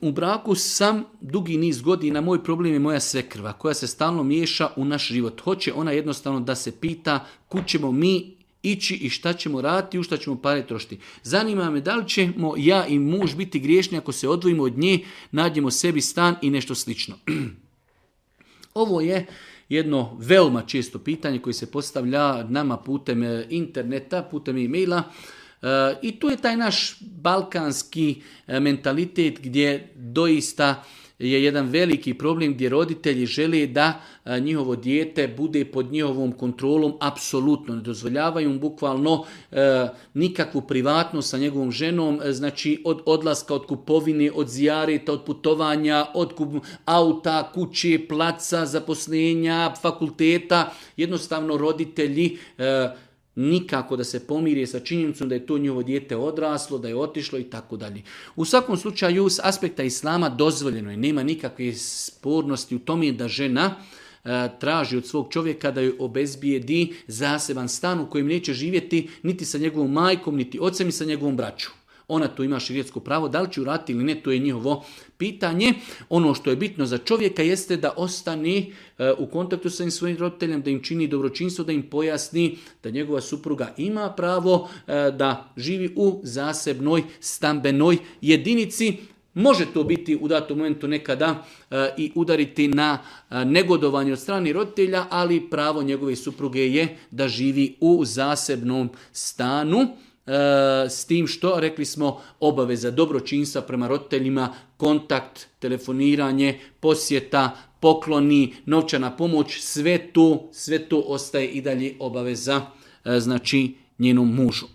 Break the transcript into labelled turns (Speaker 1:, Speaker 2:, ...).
Speaker 1: u braku sam dugi niz godina, moj problem je moja svekrva koja se stalno miješa u naš život. Hoće ona jednostavno da se pita kud ćemo mi ići i šta ćemo raditi, u šta ćemo pare trošiti. Zanima me da li ćemo ja i muž biti griješni ako se odvojimo od nje, nađemo sebi stan i nešto slično. Ovo je jedno veoma često pitanje koje se postavlja nama putem interneta, putem e-maila. I tu je taj naš balkanski mentalitet gdje doista je jedan veliki problem gdje roditelji žele da njihovo dijete bude pod njihovom kontrolom, apsolutno ne dozvoljavaju mu bukvalno nikakvu privatnost sa njegovom ženom, znači od odlaska, od kupovine, od zijareta, od putovanja, od auta, kuće, placa, zaposlenja, fakulteta. Jednostavno roditelji nikako da se pomire sa činjenicom da je to njihovo dijete odraslo, da je otišlo i tako dalje. U svakom slučaju, s aspekta islama dozvoljeno je, nema nikakve spornosti u tome da žena traži od svog čovjeka da joj obezbijedi zaseban stan u kojem neće živjeti niti sa njegovom majkom, niti ocem, ni sa njegovom braćom. Ona tu ima šerijetsko pravo, da li će uraditi ili ne, to je njihovo pitanje. Ono što je bitno za čovjeka jeste da ostane u kontaktu sa svojim roditeljem, da im čini dobročinstvo, da im pojasni da njegova supruga ima pravo da živi u zasebnoj stambenoj jedinici. Može to biti u datom momentu nekada i udariti na negodovanje od strane roditelja, ali pravo njegove supruge je da živi u zasebnom stanu. S tim što, rekli smo, obaveza dobročinstva prema roditeljima, kontakt, telefoniranje, posjeta, pokloni, novčana pomoć, sve to ostaje i dalje obaveza, znači njenom mužu.